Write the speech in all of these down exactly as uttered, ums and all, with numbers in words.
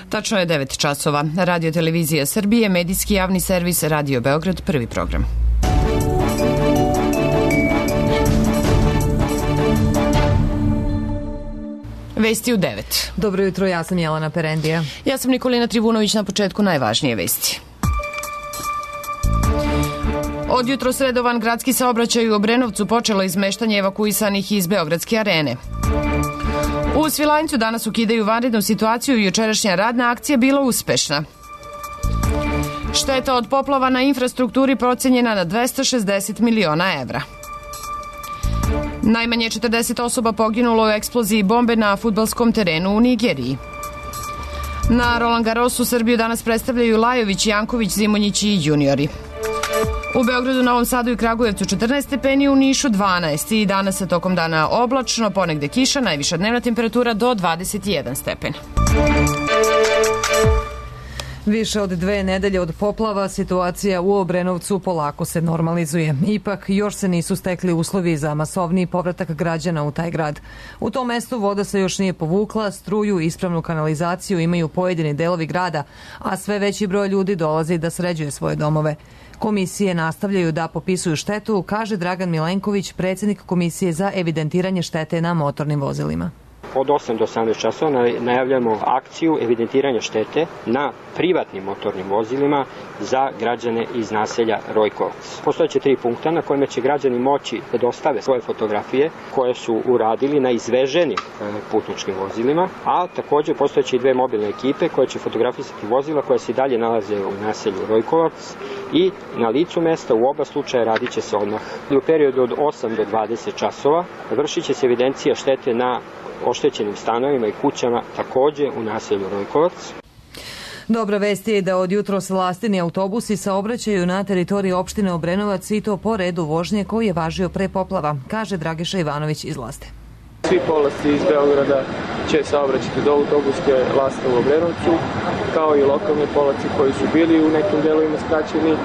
Tačno je devet časova. Radio Televizija Srbije, medijski javni servis Radio Beograd, prvi program. Vesti u devet. Dobro jutro, ja sam Jelena Perendija. Ja sam Nikolina Trivunović, na početku najvažnije vesti. Od jutro sredovan gradski saobraćaj u Obrenovcu počelo izmeštanje evakuisanih iz Beogradske arene. U Svilajncu danas ukidaju vanrednu situaciju i jučerašnja radna akcija bila uspešna. Šteta od poplava na infrastrukturi procenjena na dvesta šezdeset miliona evra. Najmanje četrdeset osoba poginulo u eksploziji bombe na fudbalskom terenu u Nigeriji. Na Roland Garrosu Srbiju danas predstavljaju Lajović, Janković, Zimonjić i juniori. U Beogradu, Novom Sadu i Kragujevcu četrnaest stepeni, u Nišu dvanaest i danas se tokom dana oblačno, ponegde kiša, najviša dnevna temperatura do dvadeset jedan stepen. Više od dve nedelje od poplava situacija u Obrenovcu polako se normalizuje. Ipak, još se nisu stekli uslovi za masovniji povratak građana u taj grad. U tom mestu voda se još nije povukla, struju i ispravnu kanalizaciju imaju pojedini delovi grada, a sve veći broj ljudi dolazi da sređuje svoje domove. Komisije nastavljaju da popisuju štetu, kaže Dragan Milenković, predsjednik Komisije za evidentiranje štete na motornim vozilima. Od osam do osamnaest časova najavljamo akciju evidentiranja štete na privatnim motornim vozilima za građane iz naselja Rojkovac. Postojeće tri punkta na kojima će građani moći da dostave svoje fotografije koje su uradili na izveženim putničkim vozilima, a također postojeće i dve mobilne ekipe koje će fotografisati vozila koja se i dalje nalaze u naselju Rojkovac i na licu mesta u oba slučaja radit će se odmah. U periodu od osam do dvadeset časova vršit će se evidencija štete na oštećenim stanovima i kućama također u naselju Rojkovac. Dobra vest je da od jutros lastini autobusi saobraćaju na teritoriji opštine Obrenovac i to po redu vožnje koji je važio pre poplava, kaže Dragiša Ivanović iz Laste. Svi polasci iz Beograda će saobraćati do autobuske laste u Obrenovcu, kao i lokalni polaci koji su bili u nekim delovima skraćeni,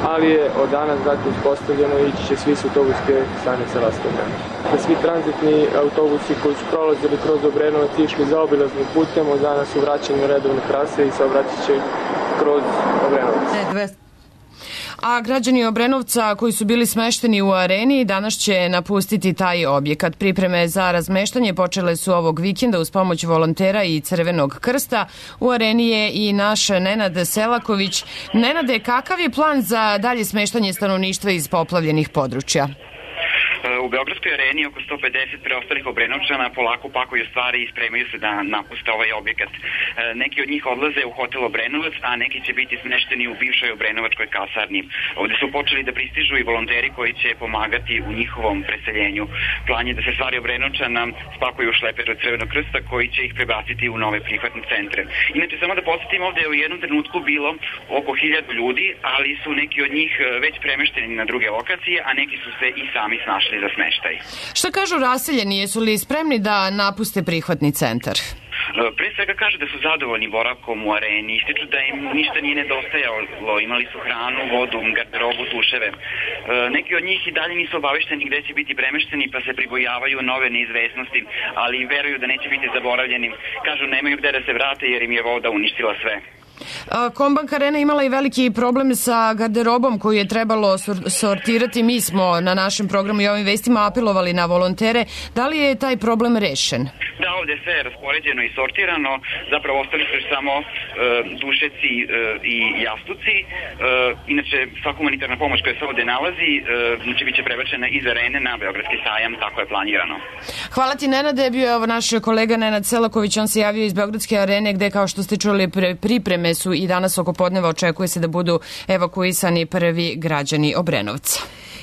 ali je od danas dakle uspostavljeno i ići će svi s autobuske stanice laste u Obrenovcu. Da svi tranzitni autobusi koji su prolazili kroz Obrenovac i išli zaobilaznim putem, od danas su vraćeni u redovne trase i saobraćat će kroz Obrenovac. A građani Obrenovca koji su bili smešteni u areni danas će napustiti taj objekat. Pripreme za razmeštanje počele su ovog vikenda uz pomoć volontera i Crvenog krsta. U areni je i naš Nenad Selaković. Nenade, kakav je plan za dalje smeštanje stanovništva iz poplavljenih područja? U Beogradskoj areni oko sto pedeset preostalih Obrenovčana polako pakuju stvari i spremaju se da napuste ovaj objekat. Neki od njih odlaze u hotel Obrenovac, a neki će biti smešteni u bivšoj Obrenovačkoj kasarni. Ovde su počeli da pristižu i volonteri koji će pomagati u njihovom preseljenju. Plan je da se stvari Obrenovčana spakuju u šleper od Crvenog krsta koji će ih prebaciti u nove prihvatne centre. Inače, samo da podsjetim, ovde je u jednom trenutku bilo oko hiljadu ljudi, ali su neki od njih već premešteni na druge lokacije, a neki su se i sami snašli za smeštaj. Šta kažu raseljeni, jesu li spremni da napuste prihvatni centar? Pre svega kaže da su zadovoljni boravkom u areni, ističu da im ništa nije nedostajalo, imali su hranu, vodu, garderobu, tuševe. Neki od njih i dalje nisu obavešteni gde će biti premešteni pa se pribojavaju nove neizvesnosti, ali veruju da neće biti zaboravljeni. Kažu nemaju gde da se vrate jer im je voda uništila sve. Kombank Arena imala i veliki problem sa garderobom koju je trebalo sortirati. Mi smo na našem programu i ovim vestima apelovali na volontere. Da li je taj problem rešen? Da, ovdje je sve raspoređeno i sortirano. Zapravo ostali su samo e, dušeci e, i jastuci. E, inače, sva humanitarna pomoć koja se ovdje nalazi e, znači biće prebačena iz arene na Beogradski sajam, tako je planirano. Hvala ti, Nenade. Bio je naš kolega Nenad Selaković, on se javio iz Beogradske arene gde, kao što ste čuli, pripreme su i danas oko podneva očekuje se da budu evakuisani prvi građani Obrenovca.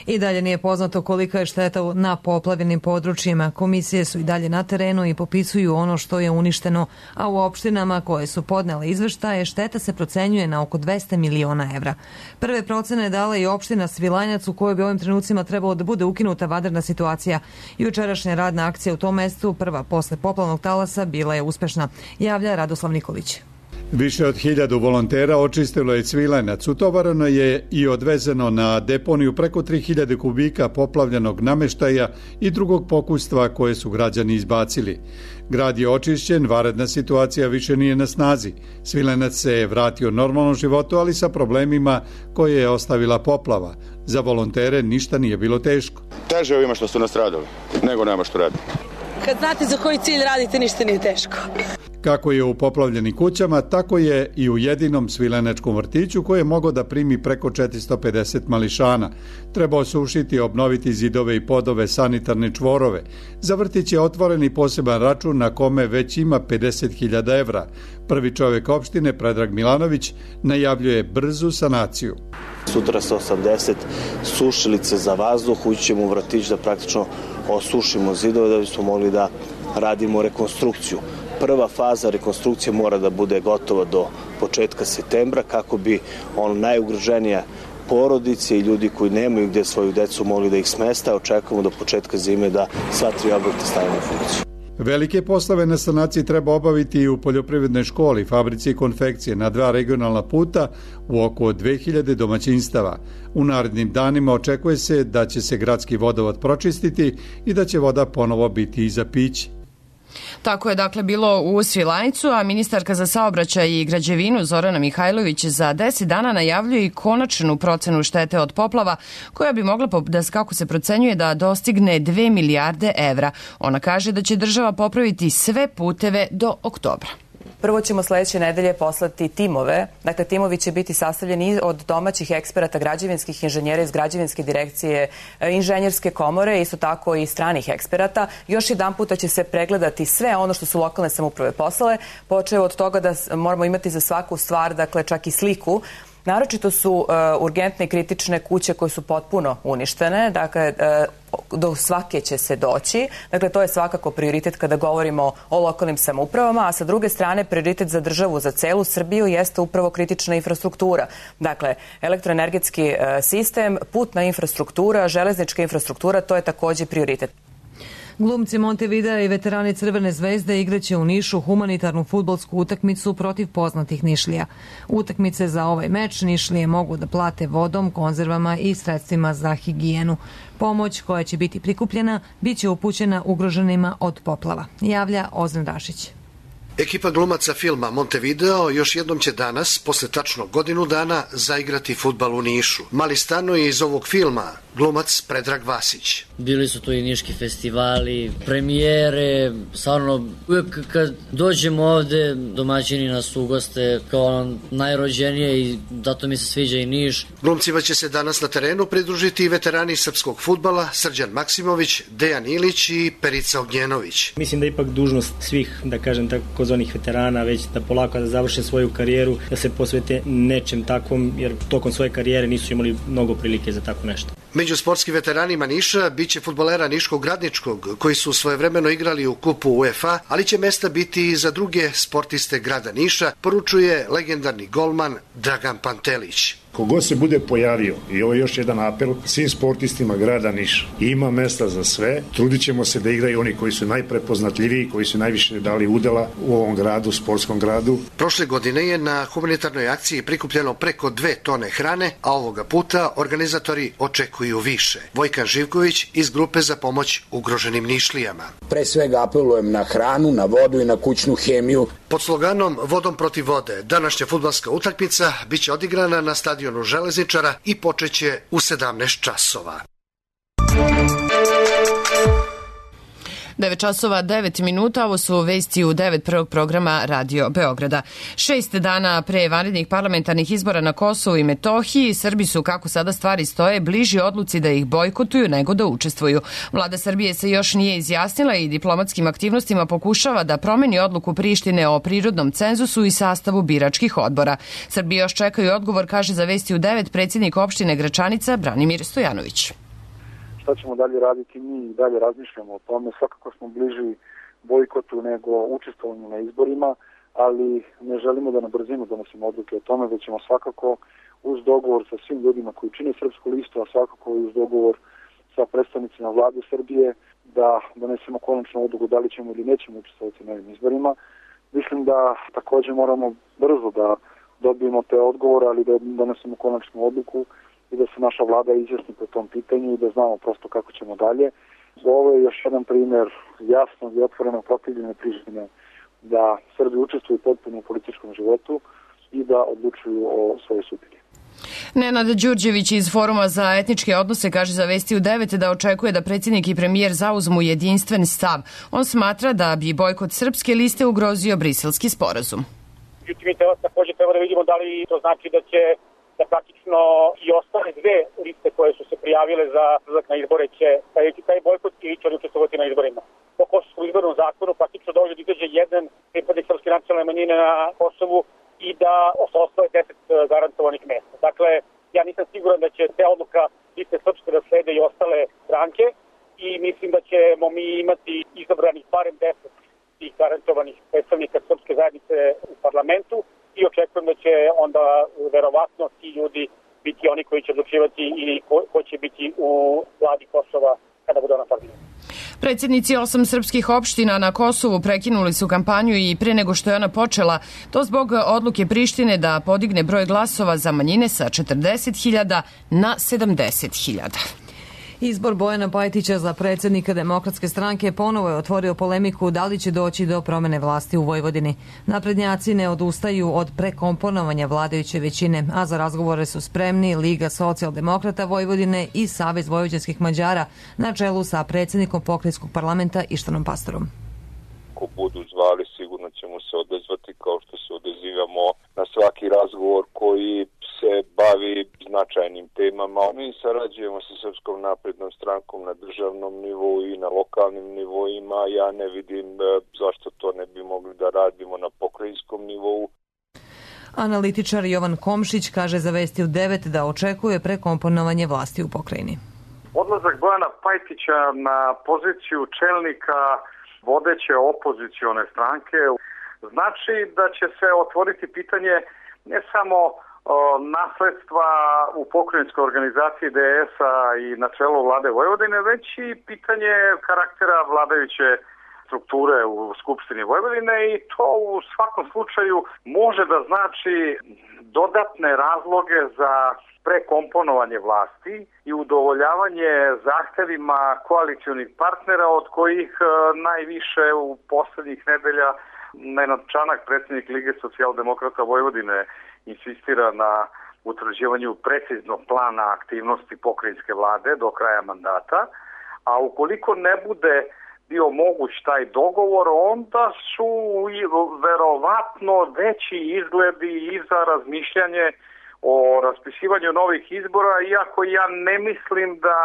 I dalje nije poznato kolika je šteta na poplavljenim područjima. Komisije su i dalje na terenu i popisuju ono što je uništeno, a u opštinama koje su podnele izveštaje šteta se procenjuje na oko dvesta miliona evra. Prve procene je dala i opština Svilajnac u kojoj bi ovim trenucima trebalo da bude ukinuta vanredna situacija. Jučerašnja radna akcija u tom mestu, prva posle poplavnog talasa, bila je uspešna, javlja Radoslav Nikolić. Više od hiljadu volontera očistilo je Cvilenac, utovareno je i odvezeno na deponiju preko tri hiljade kubika poplavljenog nameštaja i drugog pokustva koje su građani izbacili. Grad je očišćen, vanredna situacija više nije na snazi. Cvilenac se je vratio normalnom životu, ali sa problemima koje je ostavila poplava. Za volontere ništa nije bilo teško. Teže ovima što su nastradali, nego nema što radi. Kad znate za koji cilj radite, ništa nije teško. Kako je u poplavljenim kućama, tako je i u jedinom svilenačkom vrtiću koji je mogao da primi preko četiristo pedeset mališana. Treba osušiti, obnoviti zidove i podove, sanitarne čvorove. Za vrtić je otvoren i poseban račun na kome već ima pedeset hiljada evra. Prvi čovjek opštine, Predrag Milanović, najavljuje brzu sanaciju. Sutra sa osamdeset sušilice za vazduh, ući ćemo u vrtić da praktično osušimo zidove da bismo mogli da radimo rekonstrukciju. Prva faza rekonstrukcije mora da bude gotova do početka septembra kako bi ono najugroženija porodice i ljudi koji nemaju gdje svoju decu mogli da ih smesta. Očekujemo do početka zime da sva tri objekta stavimo u funkciju. Velike poslove na sanaciji treba obaviti i u poljoprivrednoj školi, fabrici i konfekcije na dva regionalna puta u oko dve hiljade domaćinstava. U narednim danima očekuje se da će se gradski vodovod pročistiti i da će voda ponovo biti i za piće. Tako je dakle bilo u Svilajncu, a ministarka za saobraćaj i građevinu Zorana Mihajlović za deset dana najavljuje i konačnu procenu štete od poplava koja bi mogla, da kako se procenjuje, da dostigne dve milijarde evra. Ona kaže da će država popraviti sve puteve do oktobra. Prvo ćemo sledeće nedelje poslati timove. Dakle, timovi će biti sastavljeni od domaćih eksperata, građevinskih inženjera iz građevinske direkcije, inženjerske komore, isto tako i stranih eksperata. Još jedan puta će se pregledati sve ono što su lokalne samouprave poslale, počeo od toga da moramo imati za svaku stvar, dakle čak i sliku. Naročito su uh, urgentne i kritične kuće koje su potpuno uništene, dakle uh, do svake će se doći, dakle to je svakako prioritet kada govorimo o lokalnim samoupravama, a sa druge strane prioritet za državu, za celu Srbiju jeste upravo kritična infrastruktura. Dakle, elektroenergetski uh, sistem, putna infrastruktura, železnička infrastruktura, to je takođe prioritet. Glumci Montevidea i veterani Crvene zvezde igraće u Nišu humanitarnu fudbalsku utakmicu protiv poznatih Nišlija. Utakmice za ovaj meč Nišlije mogu da plate vodom, konzervama i sredstvima za higijenu. Pomoć koja će biti prikupljena biće upućena ugroženima od poplava, javlja Ozren Rašić. Ekipa glumaca filma Montevideo još jednom će danas, posle tačno godinu dana, zaigrati fudbal u Nišu. Mali Stano je iz ovog filma glumac Predrag Vasić. Bili su to i niški festivali, premijere, stvarno uvijek kad dođemo ovde domaćini nas ugoste kao najrođenije i zato mi se sviđa i Niš. Glumcima će se danas na terenu pridružiti i veterani srpskog fudbala Srđan Maksimović, Dejan Ilić i Perica Ognjenović. Mislim da je ipak dužnost svih, da kažem tako, kozvanih veterana već da polako da završe svoju karijeru, da se posvete nečem takvom, jer tokom svoje karijere nisu imali mnogo prilike za tako nešto. Među sportskim veteranima Niša biće fudbalera Niškog Radničkog, koji su svojevremeno igrali u kupu UEFA, ali će mesta biti i za druge sportiste grada Niša, poručuje legendarni golman Dragan Pantelić. Kogod se bude pojavio, i ovo je još jedan apel svim sportistima grada Niša, ima mesta za sve, trudit ćemo se da igraju oni koji su najprepoznatljiviji, koji su najviše dali udela u ovom gradu, sportskom gradu. Prošle godine je na humanitarnoj akciji prikupljeno preko dve tone hrane, a ovoga puta organizatori očekuju više. Vojkan Živković iz grupe za pomoć ugroženim Nišlijama. Pre svega apelujem na hranu, na vodu i na kućnu hemiju. Pod sloganom Vodom protiv vode, današnja fudbalska utakmica biće odigrana na stadionu Železničara i počeće u sedamnaest časova. devet časova devet minuta, ovo su vesti u devet prvog programa Radio Beograda. Šest dana pre vanrednih parlamentarnih izbora na Kosovu i Metohiji, Srbi su, kako sada stvari stoje, bliži odluci da ih bojkotuju nego da učestvuju. Vlada Srbije se još nije izjasnila i diplomatskim aktivnostima pokušava da promeni odluku Prištine o prirodnom cenzusu i sastavu biračkih odbora. Srbi još čekaju odgovor, kaže za vesti u devet predsjednik opštine Gračanica Branimir Stojanović. Šta ćemo dalje raditi, mi i dalje razmišljamo o tome. Svakako smo bliži bojkotu nego učestvovanju na izborima, ali ne želimo da na brzinu donosimo odluke o tome, već ćemo svakako uz dogovor sa svim ljudima koji čine Srpsku listu, a svakako i uz dogovor sa predstavnicima vlade Srbije da donesemo konačnu odluku da li ćemo ili nećemo učestvovati na ovim izborima. Mislim da takođe moramo brzo da dobijemo te odgovore, ali da donesemo konačnu odluku i da se naša vlada izjasni po tom pitanju i da znamo prosto kako ćemo dalje. Ovo je još jedan primjer jasnog i otvorenog protivljenja Prištine da Srbi učestvuju potpuno u političkom životu i da odlučuju o svojoj sudbini. Nenad Đurđević iz Foruma za etničke odnose kaže za Vesti u devet da očekuje da predsjednik i premijer zauzmu jedinstven stav. On smatra da bi bojkot srpske liste ugrozio briselski sporazum. Međutim, mi također treba da vidimo da li to znači da će da praktično i ostale dve liste koje su se prijavile za izlazak na izbore će staviti taj bojkot ili će učestvovati na izborima. Po Kosovskom izbornom zakonu praktično dođe da izađe jedan pripadnik srpske nacionalne manjine na Kosovu i da ostave deset garantovanih mesta. Dakle, ja nisam siguran da će te odluka liste srpske da slede i ostale stranke i mislim da ćemo mi imati izabranih barem deset tih garantovanih predstavnika srpske zajednice u parlamentu i očekujem da će onda verovatno ti ljudi biti oni koji će odlučivati i ko, ko će biti u vladi Kosova kada bude ona formirana. Predsjednici osam srpskih opština na Kosovu prekinuli su kampanju i pre nego što je ona počela, to zbog odluke Prištine da podigne broj glasova za manjine sa četrdeset hiljada na sedamdeset hiljada. Izbor Bojana Pajtića za predsjednika Demokratske stranke ponovo je otvorio polemiku da li će doći do promene vlasti u Vojvodini. Naprednjaci ne odustaju od prekomponovanja vladajuće većine, a za razgovore su spremni Liga socijaldemokrata Vojvodine i Savez vojvođanskih Mađara na čelu sa predsjednikom pokrajinskog parlamenta Ištanom Pastorom. Ako budu zvali, sigurno ćemo se odazvati kao što se odazivamo na svaki razgovor koji se bavi značajnim temama. Mi sarađujemo sa Srpskom naprednom strankom na državnom nivou i na lokalnim nivoima. Ja ne vidim zašto to ne bi mogli da radimo na pokrajinskom nivou. Analitičar Jovan Komšić kaže za Vesti u devet da očekuje prekomponovanje vlasti u pokrajini. Odlazak Bojana Pajtića na poziciju čelnika vodeće opozicione stranke znači da će se otvoriti pitanje ne samo nasledstva u pokrajinskoj organizaciji D S-a i na čelu vlade Vojvodine, već i pitanje karaktera vladajuće strukture u Skupštini Vojvodine i to u svakom slučaju može da znači dodatne razloge za prekomponovanje vlasti i udovoljavanje zahtevima koalicionih partnera od kojih najviše u poslednjih nedelja Nenad Čanak, predsjednik Lige socijaldemokrata Vojvodine, insistira na utvrđivanju preciznog plana aktivnosti pokrajinske vlade do kraja mandata, a ukoliko ne bude bio moguć taj dogovor, onda su verovatno veći izgledi i za razmišljanje o raspisivanju novih izbora, iako ja ne mislim da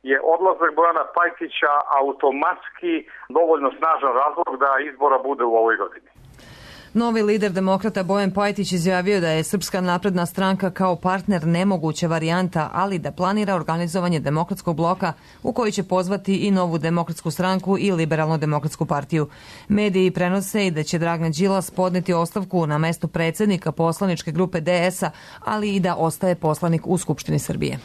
je odlazak Bojana Pajtića automatski dovoljno snažan razlog da izbora bude u ovoj godini. Novi lider demokrata Bojan Pajtić izjavio da je Srpska napredna stranka kao partner nemoguća varijanta, ali da planira organizovanje demokratskog bloka u koji će pozvati i Novu demokratsku stranku i Liberalnu demokratsku partiju. Mediji prenose i da će Dragan Đilas podneti ostavku na mesto predsjednika poslaničke grupe D S-a, ali i da ostaje poslanik u Skupštini Srbije.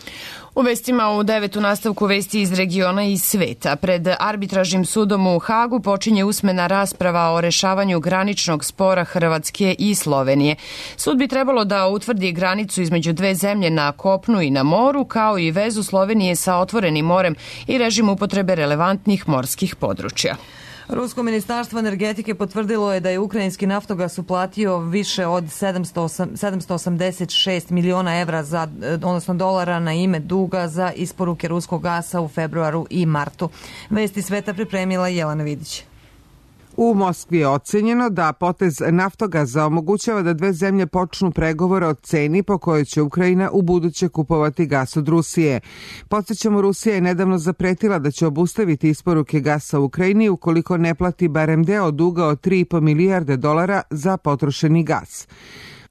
U vestima u devet u nastavku vesti iz regiona i sveta. Pred arbitražnim sudom u Hagu počinje usmena rasprava o rešavanju graničnog spora Hrvatske i Slovenije. Sud bi trebalo da utvrdi granicu između dve zemlje na kopnu i na moru, kao i vezu Slovenije sa otvorenim morem i režim upotrebe relevantnih morskih područja. Rusko ministarstvo energetike potvrdilo je da je ukrajinski Naftogas uplatio više od sedamsto osamdeset šest miliona evra, za, odnosno dolara na ime duga za isporuke ruskog gasa u februaru i martu. Vesti sveta pripremila Jelena Vidić. U Moskvi je ocenjeno da potez Naftogaza omogućava da dve zemlje počnu pregovore o ceni po kojoj će Ukrajina u buduće kupovati gas od Rusije. Podsjećamo, Rusija je nedavno zapretila da će obustaviti isporuke gasa u Ukrajini ukoliko ne plati barem deo duga od tri i po milijarde dolara za potrošeni gas.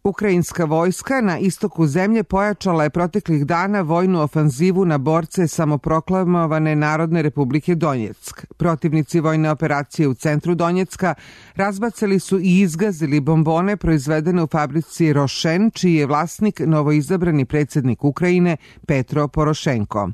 Ukrajinska vojska na istoku zemlje pojačala je proteklih dana vojnu ofanzivu na borce samoproklamovane Narodne republike Donjeck. Protivnici vojne operacije u centru Donjecka razbacali su i izgazili bombone proizvedene u fabrici Rošen, čiji je vlasnik novoizabrani predsjednik Ukrajine Petro Porošenko.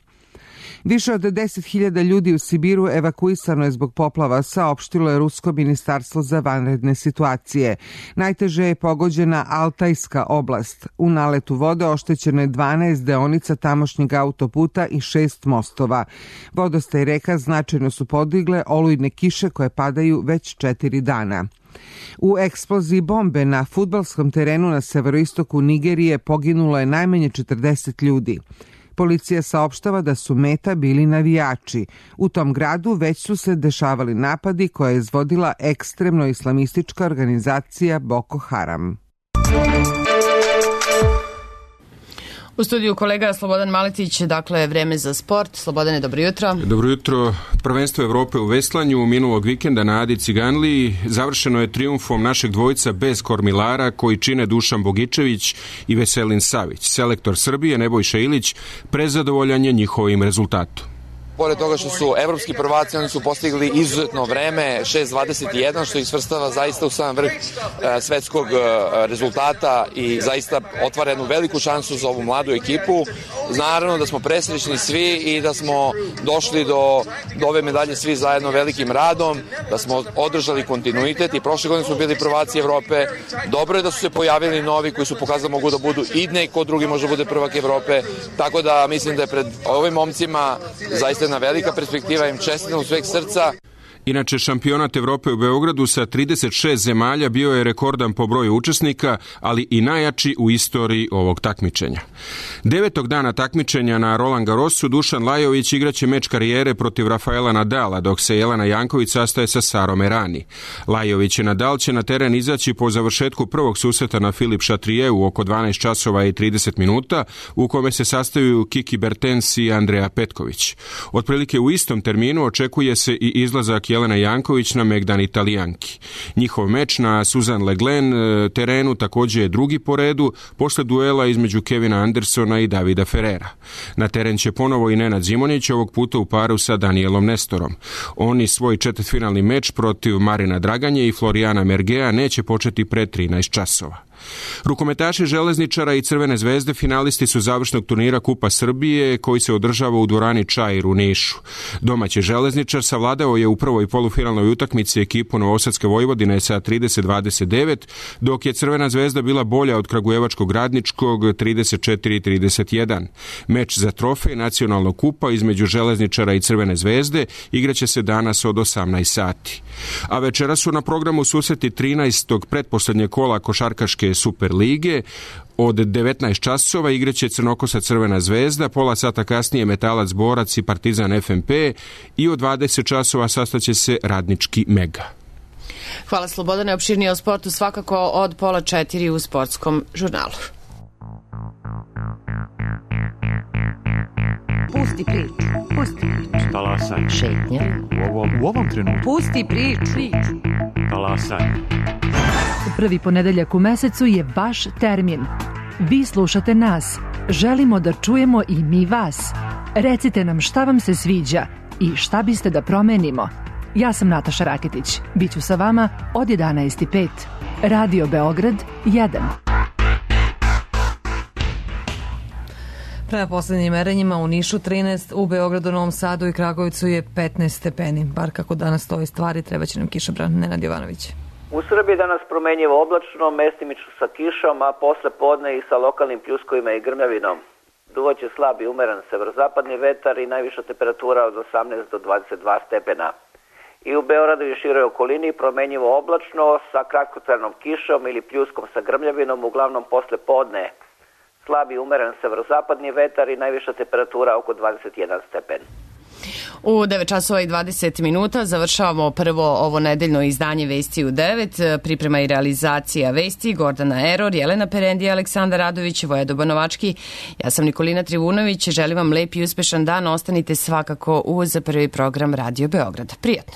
Više od deset hiljada ljudi u Sibiru evakuisano je zbog poplava, saopštilo je Rusko ministarstvo za vanredne situacije. Najteže je pogođena Altajska oblast. U naletu vode oštećeno je dvanaest deonica tamošnjeg autoputa i šest mostova. Vodostaj reka značajno su podigle olujne kiše koje padaju već četiri dana. U eksploziji bombe na fudbalskom terenu na severoistoku Nigerije poginulo je najmanje četrdeset ljudi. Policija saopštava da su meta bili navijači. U tom gradu već su se dešavali napadi koje je izvodila ekstremno islamistička organizacija Boko Haram. U studiju kolega Slobodan Maletić, dakle vreme za sport. Slobodane, dobro jutro. Dobro jutro. Prvenstvo Evrope u veslanju minulog vikenda na Adi Ciganliji završeno je trijumfom našeg dvojca bez kormilara koji čine Dušan Bogičević i Veselin Savić. Selektor Srbije Nebojša Ilić prezadovoljan je njihovim rezultatom. Pored toga što su evropski prvaci, oni su postigli izuzetno vreme, šest dvadeset jedan, što ih svrstava zaista u sam vrh e, svetskog e, rezultata i zaista otvara jednu veliku šansu za ovu mladu ekipu. Naravno da smo presrećni svi i da smo došli do, do ove medalje svi zajedno velikim radom, da smo održali kontinuitet i prošle godine smo bili prvaci Evrope. Dobro je da su se pojavili novi koji su pokazali mogu da budu i neko drugi može da bude prvak Evrope, tako da mislim da je pred ovim momcima zaista jedna velika perspektiva, im čestitam u sveg srca. Inače, šampionat Evrope u Beogradu sa trideset šest zemalja bio je rekordan po broju učesnika, ali i najjači u istoriji ovog takmičenja. Devetog dana takmičenja na Roland Garrosu Dušan Lajović igraće meč karijere protiv Rafaela Nadala, dok se Jelena Janković sastaje sa Sarom Errani. Lajović i Nadal će na teren izaći po završetku prvog susreta na Filip Chatrieu oko dvanaest časova i trideset minuta, u kome se sastaju Kiki Bertens i Andreja Petković. Otprilike u istom terminu očekuje se i izlazak Jelena Janković na Megdan Italijanki. Njihov meč na Suzanne Leglen terenu također je drugi po redu posle duela između Kevina Andersona i Davida Ferrera. Na teren će ponovo i Nenad Zimonjić, ovog puta u paru sa Danielom Nestorom. Oni svoj četvrtfinalni meč protiv Marina Draganje i Florijana Mergea neće početi pre trinaest časova. Rukometaši Železničara i Crvene zvezde finalisti su završnog turnira Kupa Srbije koji se održava u dvorani Čair u Nišu. Domaći Železničar savladao je u prvoj polufinalnoj utakmici ekipu Novosadske Vojvodine sa trideset dvadeset devet, dok je Crvena zvezda bila bolja od Kragujevačkog Radničkog trideset četiri trideset jedan. Meč za trofej nacionalnog kupa između Železničara i Crvene zvezde igraće se danas od osamnaest sati. A večera su na programu susreti trinaestog pretposlednjeg kola košarkaške Super lige. Od devetnaest časova igraće Crnokosa Crvena zvezda, pola sata kasnije Metalac Borac i Partizan F M P i od dvadeset časova sastaće se Radnički Mega. Hvala Slobodane, opširnije o sportu svakako od pola četiri u sportskom žurnalu. Pusti priču, pusti priču. Talasaj. Šetnja. U ovom, u ovom trenutku. Pusti priču. Talasaj. Prvi ponedeljak u mesecu je vaš termin. Vi slušate nas. Želimo da čujemo i mi vas. Recite nam šta vam se sviđa i šta biste da promenimo. Ja sam Nataša Raketić. Biću sa vama od jedanaest i pet. Radio Beograd jedan. Prema poslednjim merenjima u Nišu trinaest, u Beogradu, Novom Sadu i Kragujevcu je petnaest stepeni. Bar kako danas stoji stvari, treba će nam kišobran. Nenad Jovanović. U Srbiji danas promenjivo oblačno, mestimično sa kišom, a posle podne i sa lokalnim pljuskovima i grmljavinom. Duvaće slab i umeran severozapadni vetar i najviša temperatura od osamnaest do dvadeset dva stepena. I u Beogradu i široj okolini promenjivo oblačno sa kratkotrajnom kišom ili pljuskom sa grmljavinom, uglavnom posle podne. Slab i umeran severozapadni vetar i najviša temperatura oko dvadeset jedan stepen. U devet časova i dvadeset minuta završavamo prvo ovo nedeljno izdanje Vesti u devet. Priprema i realizacija Vesti Gordana Eror, Jelena Perendija, Aleksandar Radović, Voja Banovački. Ja sam Nikolina Trivunović. Želim vam lep i uspešan dan. Ostanite svakako uz prvi program Radio Beograd. Prijatno.